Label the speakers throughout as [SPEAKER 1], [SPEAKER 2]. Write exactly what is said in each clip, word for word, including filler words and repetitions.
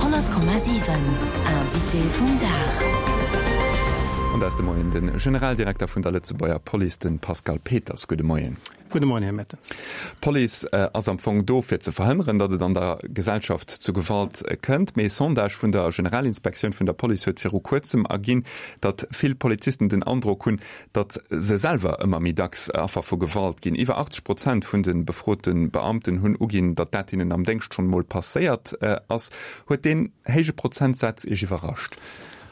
[SPEAKER 1] Honnert Komma siwen, Invité vum Dag.
[SPEAKER 2] An dat ass de Moien de Generaldirekter vun der Lëtzebuerger Police, de Pascal Peters. Gudde Moien.
[SPEAKER 3] Gudde Moien, Här Mertens.
[SPEAKER 2] D'Police ass am Fong do, fir ze verhënneren, datt et an der Gesellschaft zu Gewalt kënnt. Mee e Sondage vun der Generalinspektioun vun der Police huet viru kuerzem erginn, datt vill Polizisten den Androck hunn, datt se selwer ëmmer méi dacks Affer vu Gewalt ginn. Iwwer achtzeg Prozent vun de befrote Beamten hunn uginn, datt dat hinnen am Déngscht schonn emol passéiert ass. Huet deen héije Prozentsaz Iech iwwerrascht?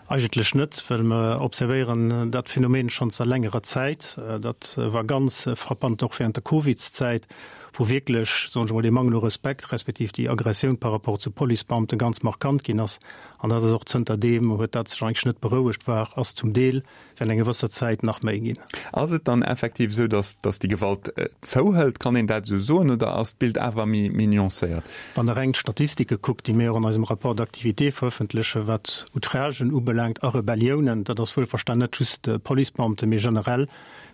[SPEAKER 3] Eigentlech net, well mer observéieren dat Phänomen schonn zanter längerer Zäit. Dat war ganz frappant och während der Covidszäit, wou wierklech, soen ech emol, dee Mangel u Respekt respektiv déi Aggressioun par rapport zu Policebeamte ganz markant ginn ass. An dat ass och zënterdeem huet dat sech eigentlech net berouegt, war, ass zum Deel während enger gewësser Zäit nach méi ginn.
[SPEAKER 2] Ass et dann effektiv esou, dass, dass déi Gewalt zouhëlt? Kann een dat esou soen oder ass d'Bild awer méi, méi nuancéiert?
[SPEAKER 3] Wann Der reng d'Statistike kuckt, déi mir och an eisem Rapport d'activité verëffentlechen, wat Outragen ubelaangt a Rebelliounen, dat ass wuelverstan net just Policebeamten, mee generell,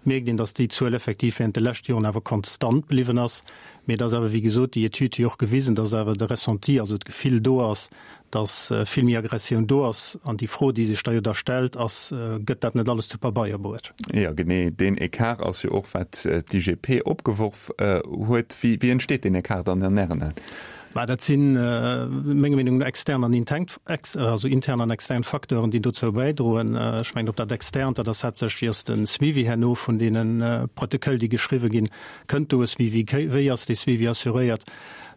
[SPEAKER 3] mierkt een, dass déi Zuel effektiv während de leschte Joren awer konstant bliwwen ass. Mee et ass awer, wéi gesot, déi Etüd huet jo och gewisen, dass awer de Ressenti, also d'Gefill do ass, dass vill méi Aggressioun do ass. An déi Fro, déi sech da jo da stellt, ass, Gëtt dat net alles zu Pabeier bruet?
[SPEAKER 2] Jo, genee deen Ecart ass jo och, wat d'I G P opgeworf huet. Wéi entsteet deen Ecart dann an Ären Aen?
[SPEAKER 3] Mä dat sinn, menger Meenung no, extern an intern, also intern an extern Facteuren, déi dozou bäidroen. Ech mengen, op dat Externt, dat ass haaptsächlech, wéi ass de Suivi herno vun deene Protoköll, déi geschriwwe ginn? Kënnt do e Suivi? Wéi ass dee Suivi assuréiert?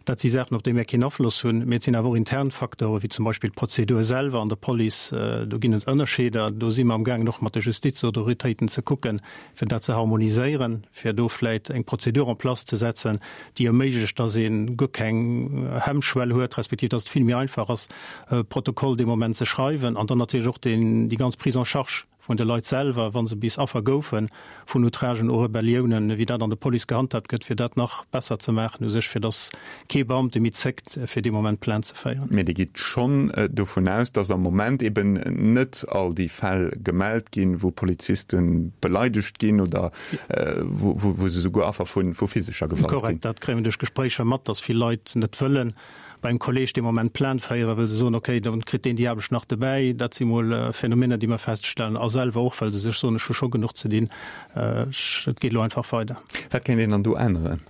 [SPEAKER 3] Dat si Saachen, op déi mir keen Afloss hunn. Mee et sinn awer och intern Facteure wéi zum Beispill d'Prozedur selwer an der Police. Do ginn et Ënnerscheeder. Do si mer amgaangen, och mat de Justizautoritéiten ze kucken, fir dat ze harmoniséieren, fir do vläicht eng Prozedur en place ze setzen, déi erméiglecht, dass ee guer keng Hemmschwell huet, respektiv dass et vill méi einfach ass, e Protokoll dee Moment ze schreiwen. An dann natierlech och déi ganz Prise en charge vun de Leit selwer, wa se bis Affer goufe vun Outragen oder Rebelliounen, wéi dat an der Police gehandhaabt gëtt, fir dat nach besser ze maachen u sech, fir datt kee Beamte méi zéckt, fir dee Moment Plainte ze féieren.
[SPEAKER 2] Mee Dir gitt schonn dovun aus, datt am Moment eben net all déi Fäll gemellt ginn, wou Poliziste beleidegt ginn oder wou se souguer Affer vu physescher Gewalt ginn?
[SPEAKER 3] Korrekt, dat kréie mir duerch Gespréicher mat, datt vill Leit net wëllen bei engem Kolleg dee Moment Plainte féieren, wëll se soen, okay, dann kritt deen déi Aarbecht nach dobäi. Dat si mol Phänomener, déi mer feststellen. A selwer och, well se sech soen, ech hu scho genuch ze dinn, ech, et geet elo einfach weider.
[SPEAKER 2] Wat kéint een dann do änneren?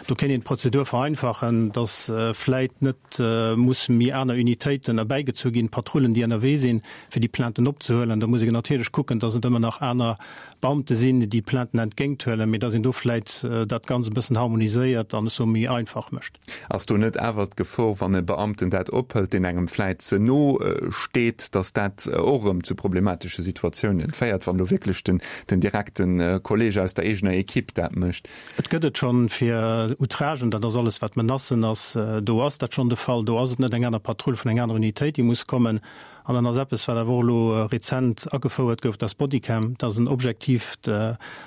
[SPEAKER 3] Do kéint een d'Prozedur vereinfachen, dass vläit net musse méi aner Unitéiten erbäigezu ginn, Patrullen, déi ënnerwee sinn, fir déi Plainten opzehuelen. Da muss een natierlech kucken, dass et ëmmer nach aner Beamte sinn, déi Plainten entgéinthuelen, mee dass een do vläit dat Ganzt e bëssen harmoniséiert an, ech soe, méi einfach mécht.
[SPEAKER 2] Ass do net awer d'Gefor, wann e Beamten dat ophëlt, deen engem vläit ze no steet, datt dat och erëm zu problematesche Situatiounen féiert, wann elo wierklech den den direkte Kolleeg aus der eegener Equipe dat mécht?
[SPEAKER 3] Et gëtt et schonn fir Outragen, dat ass alles wat Menacen ass, do ass dat schonn de Fall. Do ass et net eng aner Patrull vun enger anerer Unitéit, déi muss kommen. An dann ass eppes, wat awer och elo rezent agefouert gouf, dat ass d'Bodycam. Dat ass en objektiivt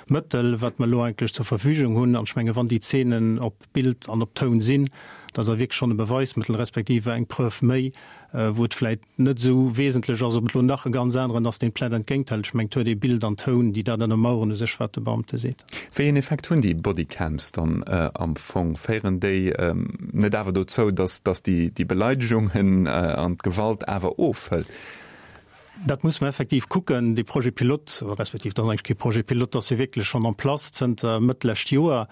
[SPEAKER 3] Mëttel, wat mer elo eigentlech zur Verfügung hunn. An ech menge wann déi Zeenen op Bild an op Toun sinn, dat ass da wierklech schonn e Beweismëttel respektiv eng Preuve méi, wou et vläicht net esou wesentlech ass, ob et elo nach e ganz aneren ass, deen d'Plainte entgéinthält. Ech mengen, et huet ee Bild an Toun, déi dat ënnermauern u sech, wat de Beamte seet.
[SPEAKER 2] Wéi een Effekt hunn déi Bodycams dann am Fong? Féieren déi net awer dozou, dass dass déi déi Beleidegungen an d'Gewalt awer ofhëlt?
[SPEAKER 3] Dat muss mer effektiv kucken. Dee Projet pilote, respektiv dat ass eigentlech kee Projet pilote, dat ass jo wierklech schonn en place zënter Mëtt lescht Joer.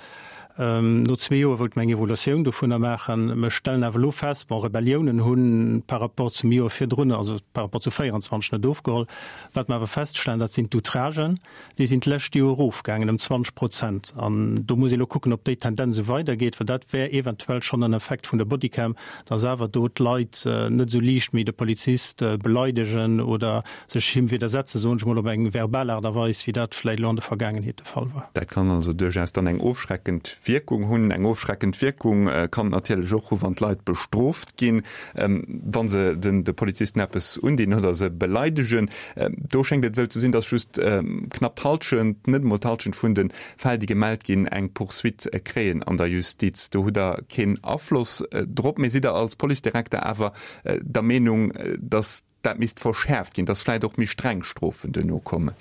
[SPEAKER 3] No zwee Joer wollte mer eng Evaluatioun dovunner maachen. Mer stellen awer elo fest, bon, Rebelliounen hu par rapport zum Joer virdrun, also par rapport zu véierenzwanzeg net ofgeholl. Wat mer awer feststellen, dat sinn d'Outragen, déi sinn d'lescht Joer erofgaangen ëm zwanzeg Prozent. An do muss ee elo kucken, ob déi Tendenz esou weidergeet, well dat wär eventuell schonn en Effekt vun der Bodycam, dass awer do d'Leit net esou liicht méi de Polizist beleidegen oder sech him widdersetzen, soen ech mol, op eng verbal Aart a Weis, wéi dat vläicht elo an der Vergaangenheet de Fall war.
[SPEAKER 2] Dat kann also duerchaus dann eng ofschreckend Wierkung hunn. Eng ofschreckend Wierkung kann et natierlech och hu wann d'Leit bestrooft ginn, wa se de Polizisten eppes undinn oder se beleidegen. Do schéngt et esou ze sinn, datt just knapp d'Hallschent, net emol d'Hallschent vun de Fäll, déi gemellt ginn, eng Poursuite kréien an der Justiz. Do hutt Der keen Afloss drop. Mee sidd Der als Policedirekter awer der Meenung, datt dat misst verschäerft ginn, datt vläicht och méi streng Strofen duerno kommen?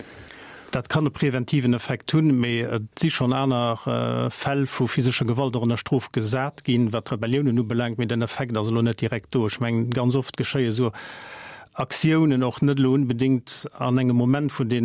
[SPEAKER 3] Dat kann e preventiven Effekt hunn, mee et si schonn aner Fäll vu physescher Gewalt och ënner Strof gesat ginn, wat d'Rebelliounen ubelaangt, mee den Effekt ass elo net direkt do. Ech mengen, ganz oft geschéie esou Aktiounen och net elo unbedéngt an engem Moment, wou dee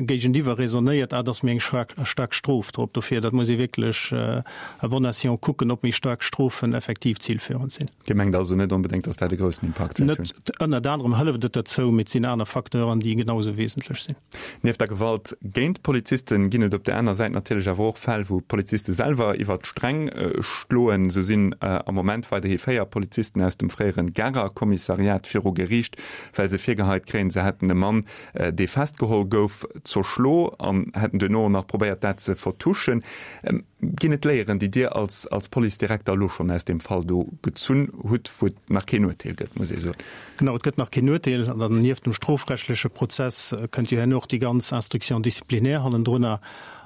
[SPEAKER 3] Géigeniwwer raisonnéiert, ah, et ass méi eng staark Strof drop. Dofir, dat muss ee wierklech à bon escient kucken, ob méi staark Strofen effektiv zilführend sinn.
[SPEAKER 2] Dir mengt also net onbedéngt, datt dat e groussen Impakt wäert hunn?
[SPEAKER 3] Net ënnert anerem hëlleft et dozou, mee et sinn aner Facteuren, déi genau esou wesentlech sinn.
[SPEAKER 2] Nieft der Gewalt géint Polizisten ginn et op der aner Säit natierlech awer och Fäll, wou Poliziste selwer iwwert d'Sträng schloen. Esou sinn am Moment weiderhi véier Polizisten aus dem fréieren Garer Kommissariat viru Geriicht, well se virgeheit kréien, se hätten e Mann, dee festgeholl gouf, zerschlo an hätten duerno och nach probéiert, dat ze vertuschen. Ginn et Léieren, déi Dir als als Policedirekter elo schonn aus deem Fall do gezunn hutt, wou et nach keen Urteel gëtt, muss ee soen?
[SPEAKER 3] Genau, et gëtt nach keen Urteel. An dann nieft dem strofrechtleche Prozess kënnt jo herno och déi ganz Instruction disciplinaire hannendrunner.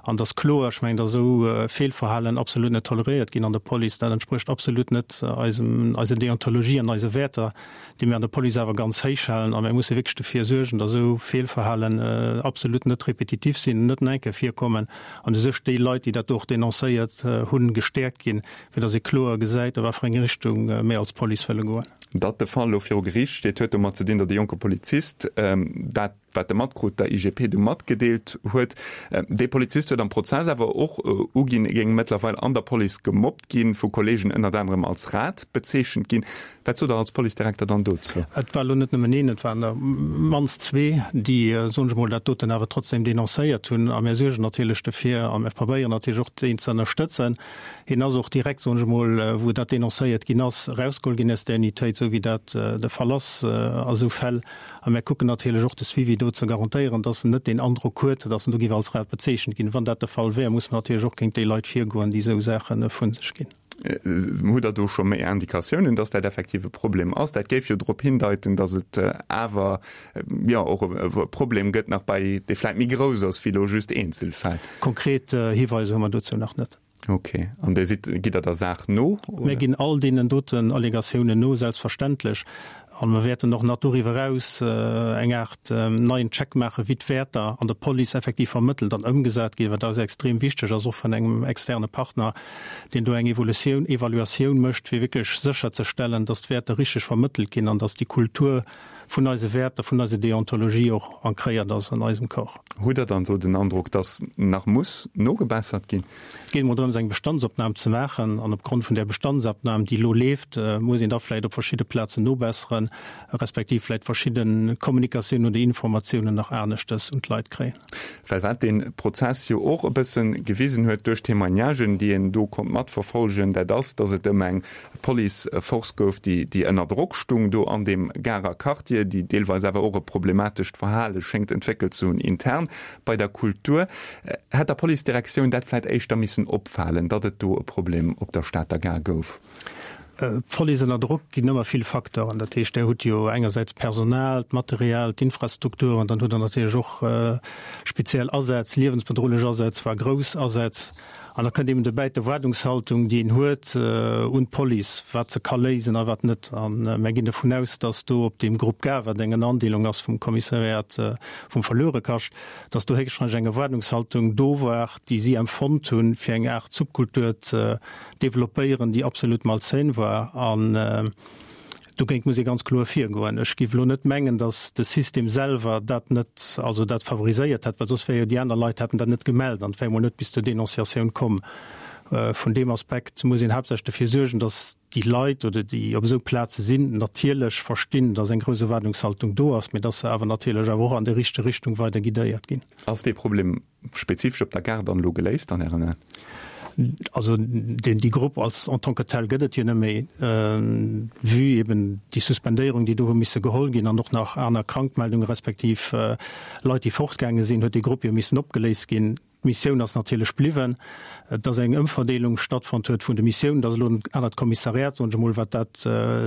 [SPEAKER 3] An et ass kloer, ech mengen, datt esou Feelverhalen absolut net toleréiert ginn an der Police. Dat entsprécht absolut net eisem, eiser Deontologie an eise Wäerter, déi mir an der Police awer ganz héich halen. A mir musse wierklech dofir suergen, datt esou Feelverhalen absolut net repetitiv sinn, net nach eng Kéier virkommen an u sech déi Leit, déi dat do och denoncéiert hunn, gestäerkt ginn, fir datt ee kloer gesäit, a wat fir eng Richtung mir als Police wëlle goen.
[SPEAKER 2] Datt de Fall elo viru Geriicht steet, huet domat ze dinn, datt e jonke Polizist dat, wat e matkrut, der I G P du matgedeelt huet. Dee Polizist huet am Prozess awer och uginn, e géing mëttlerweil an der Police gemobbt ginn, vu Kolleegen ënnert anerem als Rat bezeechent ginn. Wat sot Der als Policedirekter dann dozou?
[SPEAKER 3] Et war elo net nëmmen een, et waren der mannst zwee, déi, soen ech emol, dat doten awer trotzdem denoncéiert hunn. A mir suergen natierlech dofir a mir probéieren natierlech och, deen ze ënnerstëtzen. Hien ass och direkt, soen ech emol, wou dat denoncéiert ginn ass, erausgeholl ginn aus där Unitéit, esou wéi dat de Fall ass a sou Fäll. A mir kucken natierlech och de Suivi do ze garantéieren, dass en net deen Androck huet, dass en do géif als Rat bezeechent ginn. Wann dat de Fall wär, muss mer natierlech och géint déi Leit virgoen, déi esou Saache vu sech ginn.
[SPEAKER 2] Hutt Der do scho méi Indikatiounen, dass dat effektiv e Problem ass? Dat géif jo drop hindeiten, dass et awer, jo, och e Problem gëtt nach bei, dee vläicht méi grouss ass wéi elo just Eenzelfäll.
[SPEAKER 3] Konkret Hiweiser hu mer dozou nach net.
[SPEAKER 2] Ok. An Dir sidd, gitt Der der Saach no,
[SPEAKER 3] oder? Mir ginn all deenen doten Allegatiounen no, selbstverständlech. A mer wäerten och nach doriwwer eraus eng Aart neien Check maachen, wéi d'Wäerter an der Police effektiv vermëttelt an ëmgesat ginn, wat eis extrem wichteg ass, och vun engem externe Partner, deen do eng Evolutioun, Evaluatioun mécht, fir wierklech sécherzestellen, dass d'Wäerter richteg vermëttelt ginn an dass déi Kultur vun eise Wäerter, vun eiser Deontologie och ancréiert ass an eisem Corps.
[SPEAKER 2] Hutt Der dann do den Androck, dass nach muss nogebessert ginn?
[SPEAKER 3] Et geet emol drëms, eng Bestandsopnam ze maachen. An opgrond vun där Bestandsopnam, déi elo leeft, muss een da vläicht op verschidde Plazen nobesseren, respektiv vläicht verschidde Kommunikatiounen oder Informatiounen nach aneschtes un d'Leit kréien.
[SPEAKER 2] Well wat dee Prozess jo och e bësse gewisen huet duerch d'Témoignagen, déi een do konnt matverfolgen, dat ass, dass et ëm eng Police-Force gouf, déi déi ënner Drock stung do an deem Garer Quartier, déi deelweis awer och e problematescht Verhale schéngt entwéckelt ze hunn intern bei der Kultur. Hätt der Policedirektioun dat vläit éischter missen opfalen, datt et do e Problem op der Stater Gare gouf?
[SPEAKER 3] D'Police ënner Drock ginn ëmmer vill Facteuren. Dat heescht, Der hutt jo engersäits d'Personal, d'Material, d'Infrastruktur an dann hutt Der natierlech och speziell Asätz, liewensbedrohlech Asätz, voire grouss Asätz. An da kënnt eben dobäi d'Erwaardungshaltung, déi een huet un d'Police, wat se ka léisen a wat net. A mär ginn dovun aus, datt do op deem Groupe Gare, wat eng Ënnerandeelung ass vum Kommissariat vum Verluerekascht, datt do héchstwahrscheinlech eng Erwaardungshaltung do war, déi si empfonnt hunn, fir eng Aart Subkultur ze developpéieren, déi absolut malsain war. An dogéint muss ee ganz kloer virgoen. Ech géif elo net mengen, datt de System selwer dat net, also dat favoriséiert hätt, well soss wäre jo déi aner Leit hätten dat net gemellt an et wär emol net bis zur Denonciatioun komm. Vun deem Aspekt muss een haaptsächlech dofir suergen, datt déi Leit oder déi op esou Plaze sinn, natierlech verstinn, datt eng grouss Erwaardungshaltung do ass, mee datt se awer natierlech awer och an déi richteg Richtung weider guidéiert ginn.
[SPEAKER 2] Ass dee Problem spezifesch op der Gare dann elo geléist an Ären Aen?
[SPEAKER 3] Also deen, déi Grupp als en tant que telle gëtt et jo net méi, vue eben déi Suspendéierung, déi do hu misse geholl ginn an och nach aner Krankmeldunge respektiv Leit, déi fortgaange sinn, huet déi Grupp jo missen opgeléist ginn. D'Missioun ass natierlech bliwwen, dass eng Ëmverdeelung stattfonnt huet vun de Missiounen, dass elo en anert Kommissariat, soen ech emol, wat dat,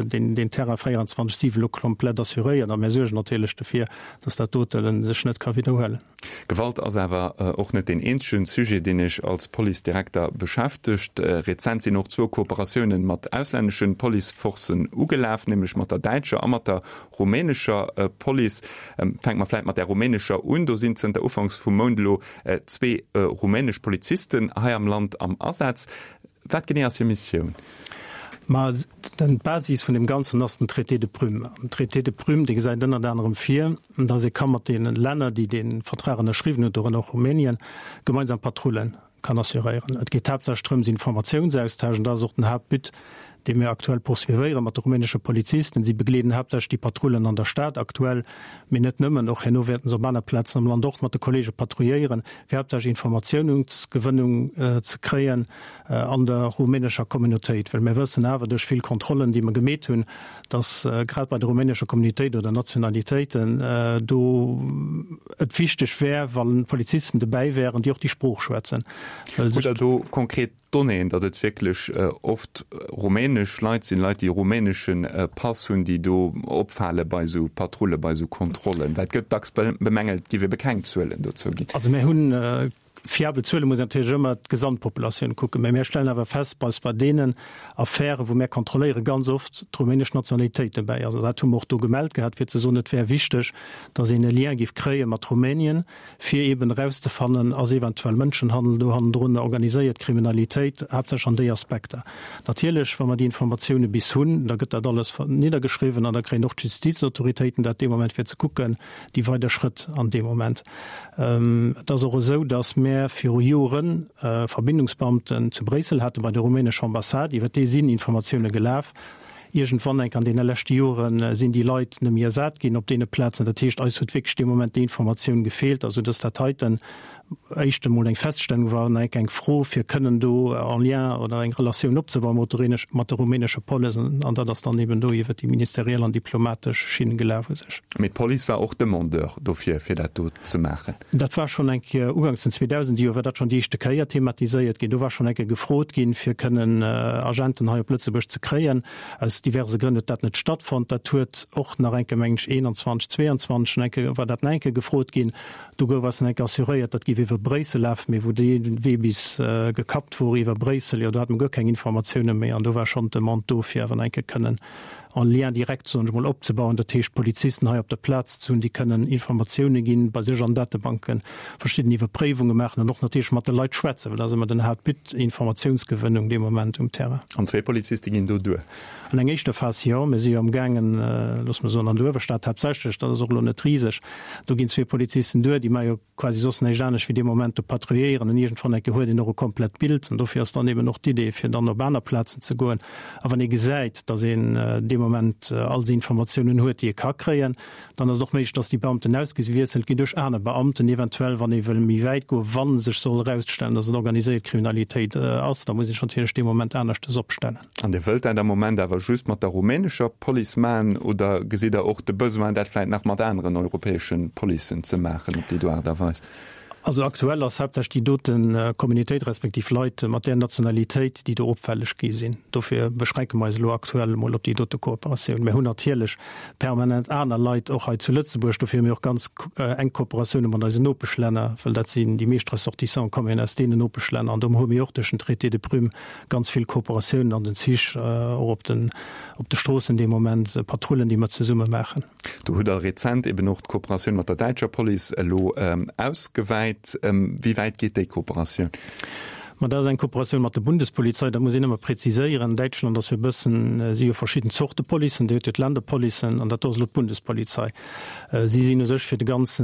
[SPEAKER 3] deen, deen Terrain véierundzwanzeg siwen elo komplett assuréiert. A mir suergen natierlech dofir, dass dat dote sech net ka widderhuelen.
[SPEAKER 2] Gewalt ass awer och net deen eenzegen Sujet, deen Iech als Policedirekter beschäftegt. Rezent sinn och zwou Kooperatiounen mat auslänneschen Policeforcen ugelaf, nämlech mat der däitscher a mat der rumänescher Police. Fänke mer vläit mat där rumänescher un. Do sinn zënter ufanks vum Mount elo zwee rumänesch Polizisten hei am Land am Asaz. Wat genee ass hir Missioun?
[SPEAKER 3] Ma d'Basis vun deem Ganzen ass den Traité de Prüm. An den Traité de Prüm, dee gesäit ënnert anerem vir, dass ee ka mat deene Länner, déi dee Vertrag ënnerschriwwen hunn, dorënner och Rumänien, gemeinsam Patrullen kann assuréieren. Et geet haaptsächlech drëms, Informatiounsaustausch, an dat ass och den Haaptbut, dee mir aktuell poursuivéiere mat de rumänesche Polizisten. Si begleeden haaptsächlech déi Patrullen an der Stad aktuell, mee net nëmmen, och herno wäerten se op aner Plazen am Land och mat de Kollege patrouilléieren, fir haaptsächlech Informatiounungsgewënnung ze kréien an der rumänescher Communautéit. Well mir wëssen awer duerch vill Kontrollen, déi mer gemeet hunn, dass grad bei der rumänescher Communautéit oder Nationalitéiten do et wichteg wär, wa Polizisten dobäi wären, déi och déi Sprooch schwätzen.
[SPEAKER 2] Hutt Der do konkret Donnéeën, datt et wierklech oft rumänesch Leit sinn, Leit, déi e rumänesche Pass hunn, déi do opfale bei esou Patrulle, bei esou Kontrollen? Well et gëtt dacks bemängelt, et géif ebe keng Zuelen dozou ginn.
[SPEAKER 3] Also mir hunn fiabel Zuelen, muss een natierlech ëmmer d'Gesamtpopulatioun kucken, mä mir stellen awer fest, dass bei deenen Affären, wou mir kontrolléieren, ganz oft d'rumänesch Nationalitéit dobäi ass. Also dat hu mer och do gemellt gehat, fir ze soen, et wär wichteg, dass een e Lien géif kréie mat Rumänien, fir eeben erauszefannen, ass eventuell Mënschenhandel do hannendrun, organiséiert Kriminalitéit, haaptsächlech an déi Aspekter. Natierlech, wa mer déi Informatioune bis hunn, da gëtt dat alles niddergeschriwwen an da kréien och d'Justizautoritéiten dat dee Moment, fir ze kucken, déi weider Schrëtt an deem Moment. Et ass och esou, datt mär viru Jore Verbindungsbeamten zu Bréissel hate bei der rumänescher Ambassade, iwwer déi sinn Informatioune gelaf. Iergendwann enk an deene leschte Jore sinn déi Leit net méi ersat ginn op deene Plazen. Dat heescht, eis huet wierklech dee Moment déi Informatioun gefeelt, also dass dat heiten éischt emol eng Feststellung war an enk eng Fro, fir kënnen do en Lien oder eng Relatioun opzebauen mat der rumänescher Police. An dat ass dann eben do iwwert déi ministeriell an diplomatesch Schinn gelaf u sech.
[SPEAKER 2] Mee d'Police war och Demandeur dofir, fir dat do ze maachen?
[SPEAKER 3] Dat war schonn eng Kéier uganks den zweedausend Joer war dat schonn déi éischte Kéier thematiséiert ginn. Do war schonn eng Kéier gefrot ginn, fir kënnen Agenten hei op Lëtzebuerg ze kréien. Aus diverse Grënn huet dat net stattfonnt. Dat huet och nach eng Kéier, mengen ech, eenanzwanzeg, zweeanzwanzeg nach eng Kéier war dat nach eng Kéier gefrot ginn. Do gouf eis nach eng Kéier assuréiert, dat géif iwwer Bréissel lafen. Mee wou dee Wee bis gekappt wor iwwer Bréissel, jo do hate mer guer keng Informatioune méi. An do war schonn d'Demande do, fir awer nach eng Kéier kënnen en Lien direct, soen ech mol, opzebauen, dat heescht Polizisten hei op der Plaz ze hunn, déi kënnen Informatioune ginn, bei sech an Datebanke verschidden Iwwerpréiwunge maachen an och natierlech mat de Leit schwätzen, well dat ass ëmmer den Haaptbut, Informatiounsgewënnung dee Moment um Terrain.
[SPEAKER 2] An zwee Poliziste ginn do duer?
[SPEAKER 3] An eng éischter Phas jo. Mir si jo amgaangen, loosse mer soen, an der Uewerstad haaptsächlech, dat ass och elo net riseg, do ginn zwee Polizisten duer, déi maache jo quasi soss näischt anescht wéi dee Moment do patrouilléieren an iergendwann eng Kéier huet een och e komplett Bild an dofir ass dann eben och d'Idee fir dann op aner Plazen ze goen. A wann ee gesäit, datt een dee Moment all déi Informatiounen huet, déi ee ka kréien, dann ass et och méiglech, datt déi Beamten ausgewiesselt ginn duerch aner Beamten, eventuell wann ee wëll méi wäit goen, wa sech soll erausstellen, datt et organiséiert Kriminalitéit ass, da muss ee sech natierlech dee Moment aneschtes opstellen.
[SPEAKER 2] An Dir wëllt dat am Moment awer just mat der rumänescher Police maachen oder gesitt Der och de Besoin, dat vläicht nach mat aneren europäesche Policen ze maachen op déi do Aart a Weis?
[SPEAKER 3] Also aktuell ass haaptsächlech déi dote Communautéit respektiv Leit mat där Nationalitéit, déi do opfälleg gi sinn. Dofir beschränke mer eis elo aktuell emol op déi dote Kooperatioun. Mir hunn natierlech permanent aner Leit och hei zu Lëtzebuerg. Dofir hu mir och ganz enk Kooperatioune mat eisen Nopeschlänner, well dat sinn déi meescht Ressortissante kommen aus deenen Nopeschlänner. An do hu mir och duerch den Traité de Prüm ganz vill Kooperatiounen an den Zich, och op den op de Stroossen dee Moment, Patrullen, déi mer zesumme maachen.
[SPEAKER 2] Do hutt Der rezent eben och d'Kooperatioun mat der däitscher Police elo ausgewäit. Wéi wäit geet déi Kooperatioun?
[SPEAKER 3] Ma dat ass eng Kooperatioun mat der Bundespolizei, dat muss een ëmmer präziséieren. Däitschland ass jo e bëssen, si hu verschidden Zorte Policen, Dir hutt jo d'Länderpolicen an dat do ass elo d'Bundespolizei. Si sinn u sech fir de ganze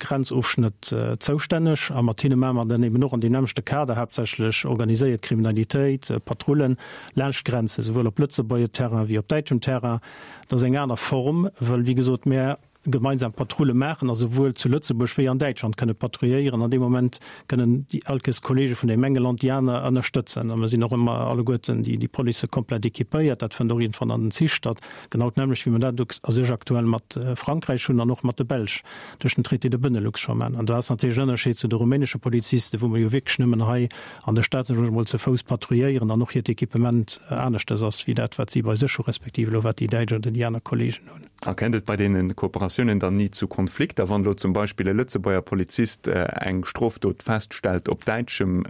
[SPEAKER 3] Grenzofschnëtt zoustänneg a mat hinne maache mer dann eben och an deem nämmlechte Kader haaptsächlech organiséiert Kriminalitéit, Patrullen laanscht d'Grenze, souwuel op Lëtzebuerger Terrain wéi op däitschem Terrain. Dat ass eng aner Form, wëll wéi gesot, mär gemeinsam Patrulle maachen a souwuel zu Lëtzebuerg wéi an Däitschland kënne patrouilléieren. An deem Moment kënnen déi all Kéiers Kollege vun deem enge Land déi aner ënnerstëtzen. A mer sinn och ëmmer alleguerten déi Policë komplett équipéiert. Dat fënnt och iergendwann an den Zich statt. Genau d'nämmlecht wéi mer dat a sech aktuell mat Frankräich hunn an och mat de Belsch duerch den Traité de Benelux scho maachen. An do ass natierlech en Ënnerscheed zu de rumänesche Polizisten, wou mer jo wierklech nëmmen hei an der Stad, soen ech emol, ze Fouss patrouilléieren an och hiert Equipement aneschtes ass wéi dat, wat si bei sech hu respektiv elo wat déi däitsch oder déi aner Kollegen hunn.
[SPEAKER 2] A kënnt et bei deene Kooperatiounen dann ni zu Konflikter, wann elo zum Beispill e Lëtzebuerger Polizist eng Strofdot feststellt op däitschem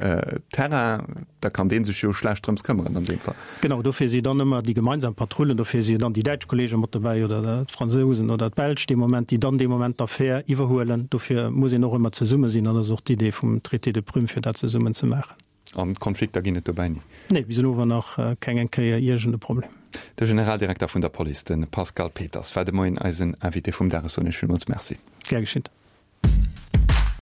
[SPEAKER 2] Terrain? Da kann dee sech jo schlecht drëms këmmeren an deem Fall.
[SPEAKER 3] Genau, dofir si dann ëmmer déi gemeinsam Patrullen, dofir si jo dann déi däitsch Kollege mat dobäi oder d'Fransousen oder d'Belsch dee Moment, déi dann dee Moment d'Affär iwwerhuelen. Dofir muss een och ëmmer zesumme sinn an dat ass och d'Idee vum Traité de Prüm, fir dat zesummen ze maachen.
[SPEAKER 2] An Konflikter ginn et dobäi ni?
[SPEAKER 3] Nee, bis elo war nach keng eng Kéier iergend e Problem.
[SPEAKER 2] De Generaldirekter vun der Police, de Pascal Peters, war de Moien eisen Invité vum Dag. Ech soen Iech villmools Merci.
[SPEAKER 3] Gär geschitt.